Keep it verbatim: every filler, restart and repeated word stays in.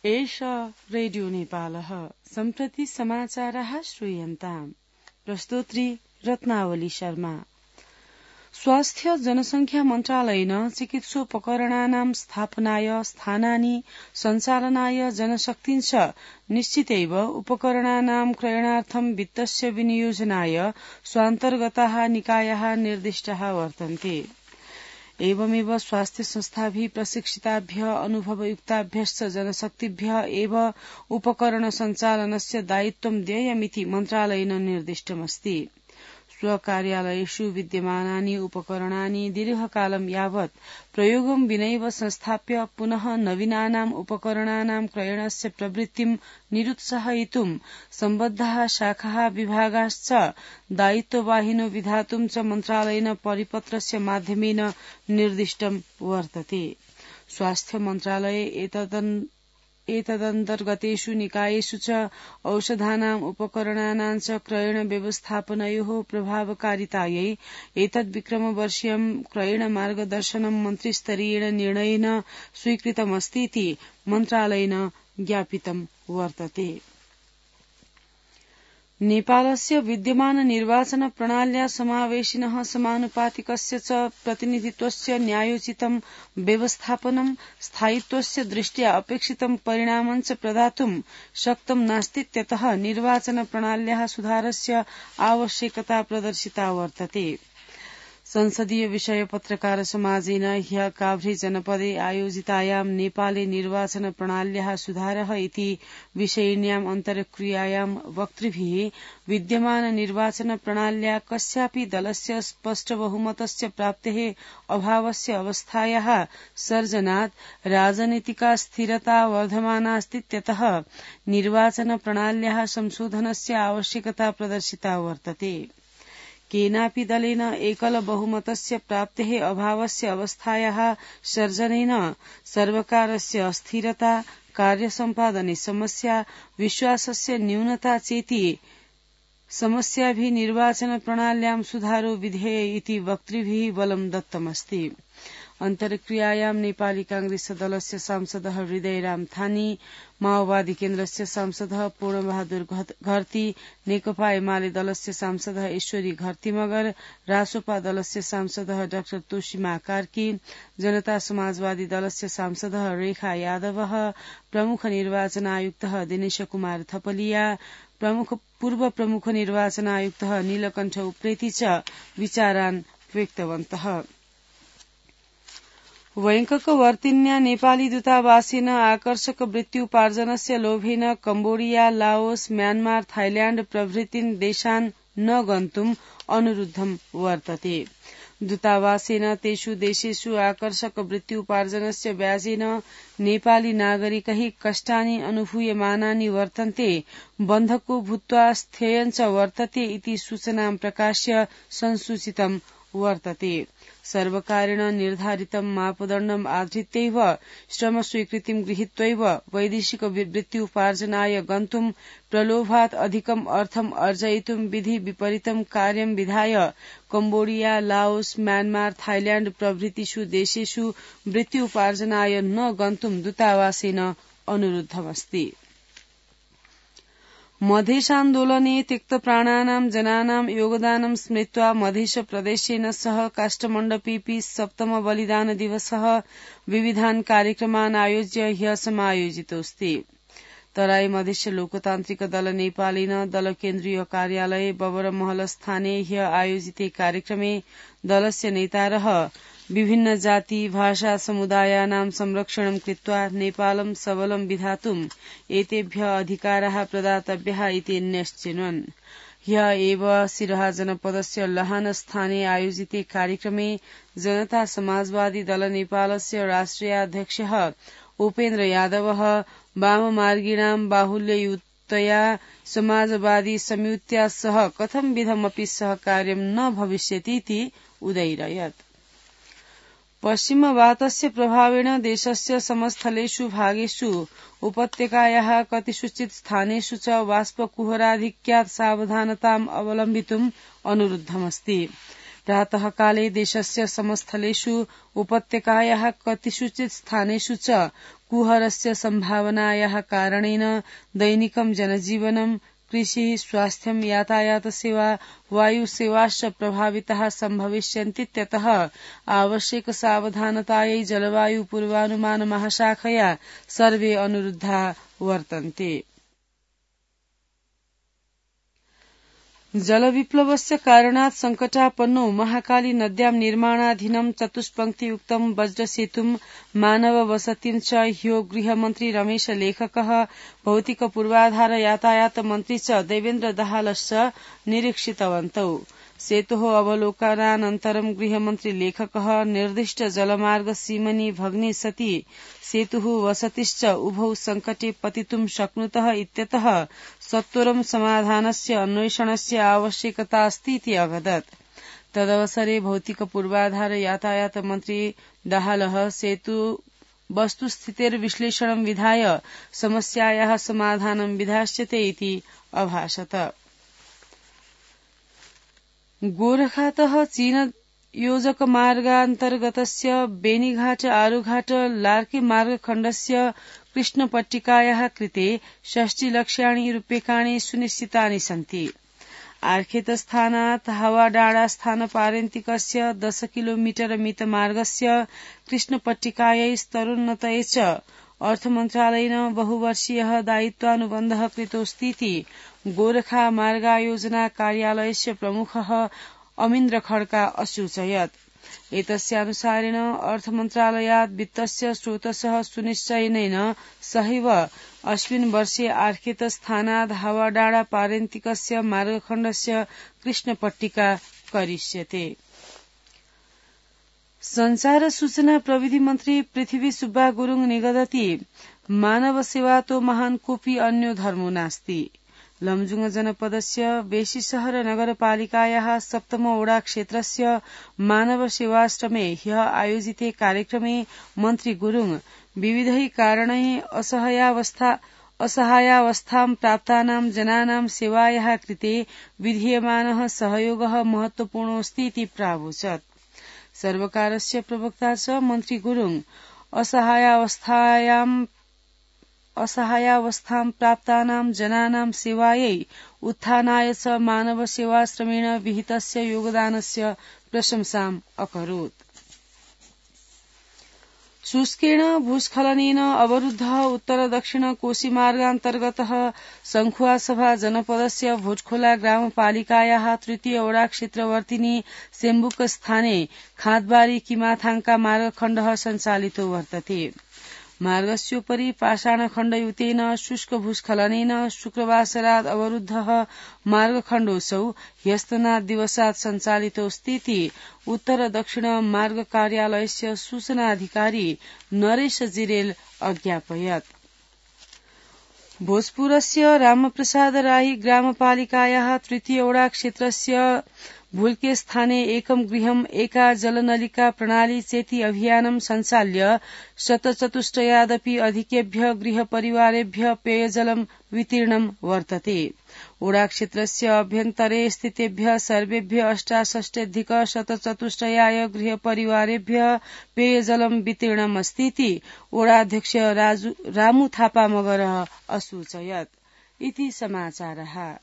एष रेडियो नेपालः सम्प्रति समाचारः श्रूयन्ताम्। प्रस्तोत्री रत्नावली शर्मा। स्वास्थ्य जनसंख्या मन्त्रालयेन चिकित्सोपकरणानां स्थापनाय स्थानानि सञ्चालनाय जनशक्तिञ्च निश्चितैव उपकरणानां क्रयणार्थं वित्तस्य विनियोजनाय स्वान्तर्गताः निकायाः निर्दिष्टाः वर्तन्ते। एवमेव स्वास्थ्य संस्थाभिः प्रशिक्षिताभ्यः अनुभवयुक्ताभ्यश्च जनशक्तिभ्यः एव उपकरण सञ्चालनस्य दायित्वं देयमिति मन्त्रालयेन निर्दिष्टमस्ति। स्वकार्यालयेषु विद्यमानानि उपकरणानि दीर्घकालं यावत् प्रयोगं विनैव संस्थाप्य पुनः नवीनानाम् उपकरणानां क्रयणस्य प्रवृत्तिं निरुत्साहयितुं सम्बद्धाः शाखाः विभागाश्च दायित्ववाहिनो विधातुं च मन्त्रालयेन परिपत्रस्य माध्यमेन निर्दिष्टं वर्तते। स्वास्थ्य मन्त्रालये एतदन् एतदन्तर्गतेषु निकायेषु च औषधानाम् उपकरणानां च क्रयण व्यवस्थापनयोः प्रभावकारितायै एतद्विक्रमवर्षीयं क्रयण मार्गदर्शनं मन्त्रिस्तरीयेण निर्णयेन स्वीकृतमस्तीति मन्त्रालयेन ज्ञापितं वर्तते। नेपालस्य विद्यमान निर्वाचन प्रणाल्या समावेशिनः समानुपातिकस्य च प्रतिनिधित्वस्य न्यायोचितं व्यवस्थापनं स्थायित्वस्य दृष्ट्या अपेक्षितं परिणामं च प्रदातुं शक्तं नास्तीत्यतः निर्वाचन प्रणाल्याः सुधारस्य आवश्यकता प्रदर्शिता वर्तते। संसदीय विषय पत्रकार समाजेन ह्यः काभ्रे जनपदे आयोजितायां नेपाले निर्वाचन प्रणाल्याः सुधारः इति विषयिण्याम् अन्तर्क्रियायां वक्तृभिः विद्यमान निर्वाचन प्रणाल्या कस्यापि दलस्य स्पष्ट बहुमतस्य प्राप्तेः अभावस्य अवस्थायाः सर्जनात् राजनीतिका स्थिरता वर्धमानास्तीत्यतः निर्वाचन प्रणाल्याः संशोधनस्य आवश्यकता प्रदर्शिता वर्तते। केनापि दलेन एकल बहुमतस्य प्राप्तेः अभावस्य अवस्थायाः सर्जनेन सर्वकारस्य अस्थिरता, कार्यसम्पादने समस्या, विश्वासस्य न्यूनता चेति समस्याभिः निर्वाचन प्रणाल्यां सुधारो विधेय इति वक्तृभिः बलं दत्तमस्ति। अन्तर्क्रियायां नेपाली कांग्रेस दलस्य सांसदः हृदयराम थानी, माओवादी केन्द्रस्य सांसदः पूर्णबहादुर घरती, नेकपा एमाले दलस्य सांसदः ईश्वरी घरती मगर, रासोपा दलस्य सांसदः डाक्टर तोशीमा कार्की, जनता समाजवादी दलस्य सांसदः रेखा यादव, प्रमुख निर्वाचन आयुक्तः दिनेश कुमार थपलिया, प्रमुख पूर्व प्रमुख निर्वाचन आयुक्तः नीलकण्ठ उप्रेती च विचारान् व्यक्तवन्तः। वैंककवर्तिन्या नेपाली दूतावासेन आकर्षक वृत्त्युपार्जनस्य लोभेन कम्बोडिया, लाओस, म्यानमार, थाइल्याण्ड प्रभृतीन् देशान् न गन्तुम् अनुरुद्धं वर्तते। दूतावासेन तेषु देशेषु आकर्षक वृत्त्युपार्जनस्य व्याजेन नेपाली नागरिकैः कष्टानि अनुभूयमानानि वर्तन्ते, बन्धको भूत्वा स्थेयञ्च वर्तते इति सूचनां प्रकाश्य संसूचितं वर्तते। सर्वकारेण निर्धारितं मापदण्डम् आधृत्यैव श्रमस्वीकृतिं गृहीत्वैव वैदेशिक वृत्त्युपार्जनाय गन्तुं प्रलोभात् अधिकम् अर्थम् अर्जयितुं विधि विपरीतं कार्यं विधाय कम्बोडिया, लाओस, म्यानमार, थाइल्याण्ड प्रभृतिषु देशेषु वृत्त्युपार्जनाय न गन्तुं दूतावासेन अनुरुद्धमस्ति। मधेशान्दोलने त्यक्तप्राणानां जनानां योगदानं स्मृत्वा मधेश प्रदेशेन सह काष्ठमण्डपेऽपि सप्तम बलिदान दिवसः विविधान् कार्यक्रमान् आयोज्य ह्यः समायोजितोऽस्ति। तराई मधेश लोकतान्त्रिक दल नेपालेन दल केन्द्रीय कार्यालय बबरमहलस्थाने ह्यः आयोजिते कार्यक्रमे दलस्य नेतारः विभिन्न जाति भाषा समुदायानां संरक्षणं कृत्वा नेपालं सबलं विधातुम् एतेभ्यः अधिकाराः प्रदातव्याः इति न्यश्चिन्वन्। ह्यः एव सिरहा जनपदस्य लहानस्थाने आयोजिते कार्यक्रमे जनता समाजवादी दल नेपालस्य राष्ट्रियाध्यक्षः उपेन्द्र यादवः वाममार्गिणां बाहुल्ययुतया समाजवादी संयुत्या सह कथंविधमपि सहकार्यं न भविष्यतीति उदैरयत्। पश्चिमवातस्य प्रभावेण देशस्य समस्थलेषु भागेषु उपत्यकायाः कतिषुचित् स्थानेषु च बाष्पकुहराधिक्यात् सावधानताम् अवलम्बितुम् अनुरुद्धमस्ति। प्रातःकाले देशस्य समस्थलेषु उपत्यकायाः कतिषुचित् स्थानेषु च कुहरस्य सम्भावनायाः कारणेन दैनिकं जनजीवनं कृषि स्वास्थ्यं यातायात सेवा वायु सेवाश्च प्रभाविताः सम्भविष्यन्तीत्यतः आवश्यक सावधानतायै जलवायु पूर्वानुमान महाशाखया सर्वे अनुरुद्धा वर्तन्ते। जलविप्लवस्य कारणात् संकटापन्नो महाकाली नद्यां निर्माणाधीनं चतुष्पङ्क्तियुक्तं वज्रसेतुं मानववसतिं च ह्यो गृहमन्त्री रमेश लेखकः भौतिक पूर्वाधार यातायात मन्त्री च देवेन्द्र दाहालश्च निरीक्षितवन्तौ। सेतोः अवलोकनानन्तरं गृहमन्त्री लेखकः निर्दिष्ट जलमार्ग सीमनि भग्ने सति सेतुः वसतिश्च उभौ संकटे पतितुं शक्नुतः इत्यतः सत्वरं समाधानस्य अन्वेषणस्य आवश्यकता अस्ति इति अवदत्। तदवसरे भौतिक पूर्वाधार यातायात मन्त्री दाहालः सेतु वस्तुस्थितेर्विश्लेषणं विधाय समस्यायाः समाधानं विधास्यते इति अभाषत। गोरखातः चीन योजक मार्गान्तर्गतस्य बेनीघाट आरुघाट लार्के मार्गखण्डस्य कृष्णपट्टिकायाः कृते षष्टिलक्षाणि रूप्यकाणि सुनिश्चितानि सन्ति। आर्खेतस्थानात् हवाडाडास्थानपारन्तिकस्य दश किलोमीटर मितमार्गस्य कृष्णपट्टिकायै स्तरोन्नतये च अर्थमन्त्रालयेन बहुवर्षीयः दायित्वानुबन्धः कृतोऽस्तीति गोरखा मार्गायोजना कार्यालयस्य प्रमुखः अमीन्द्र खड्का असूचयत्। एतस्यानुसारेण अर्थमन्त्रालयात् वित्तस्य स्रोतसः सुनिश्चयनेन सहैव अस्मिन् वर्षे आर्खेतस्थानात् हवाडाडा पारन्तिकस्य मार्गखण्डस्य कृष्णपट्टिका करिष्यते। संचार सूचना प्रविधि मन्त्री पृथ्वी सुब्बा गुरुङ निगदति मानव सेवा तो महान् कोऽपि अन्यो धर्मो नास्ति। लमजुङ जनपदस्य बेसीशहर नगरपालिकायाः सप्तम ओडा क्षेत्रस्य मानव सेवाश्रमे ह्यः आयोजिते कार्यक्रमे मन्त्री गुरुङ विविधैः कारणैः असहायावस्था असहायावस्थां प्राप्तानां जनानां सेवायाः कृते विधीयमानः सहयोगः महत्वपूर्णोऽस्ति इति प्रावोचत्। सर्वकारस्य प्रवक्ता च मन्त्री गुरुङ असहायावस्थायां असहायावस्थां प्राप्तानां जनानां सेवायै उत्थानाय च मानव सेवाश्रमेण विहितस्य योगदानस्य प्रशंसाम् अकरोत्। शुष्केण भूस्खलनेन अवरुद्धः उत्तर दक्षिण कोशीमार्गान्तर्गतः संखुवासभा जनपदस्य भोजखोला ग्रामपालिकायाः तृतीय ओडा क्षेत्रवर्तिनी सेम्बुक स्थाने खाँदबारी किमाथाङका मार्गखण्डः सञ्चालितो वर्तते। मार्गस्योपरि पाषाणखण्डयुतेन शुष्क भूस्खलनेन शुक्रवासरात् अवरुद्धः मार्गखण्डोऽसौ ह्यस्तनात् दिवसात् सञ्चालितोऽस्तीति उत्तर दक्षिण मार्ग कार्यालयस्य सूचनाधिकारी नरेश जिरेल अज्ञापयत्। भोजपुरस्य रामप्रसाद राई ग्रामपालिकायाः तृतीय ओडा क्षेत्रस्य भुल्के स्थाने एकं गृहम् एका जलनलिका प्रणाली चेति अभियानं सञ्चाल्य शतचतुष्टयादपि अधिकेभ्यः गृहपरिवारेभ्यः पेयजलं वितीर्णं वर्तते। ओडा क्षेत्रस्य अभ्यन्तरे स्थितेभ्यः सर्वेभ्यः अष्टाषष्ट्यधिक शतचतुष्टयाय गृहपरिवारेभ्यः पेयजलं वितीर्णम् अस्तीति ओडाध्यक्ष रामु थापा मगरः असूचयत्। इति समाचारः।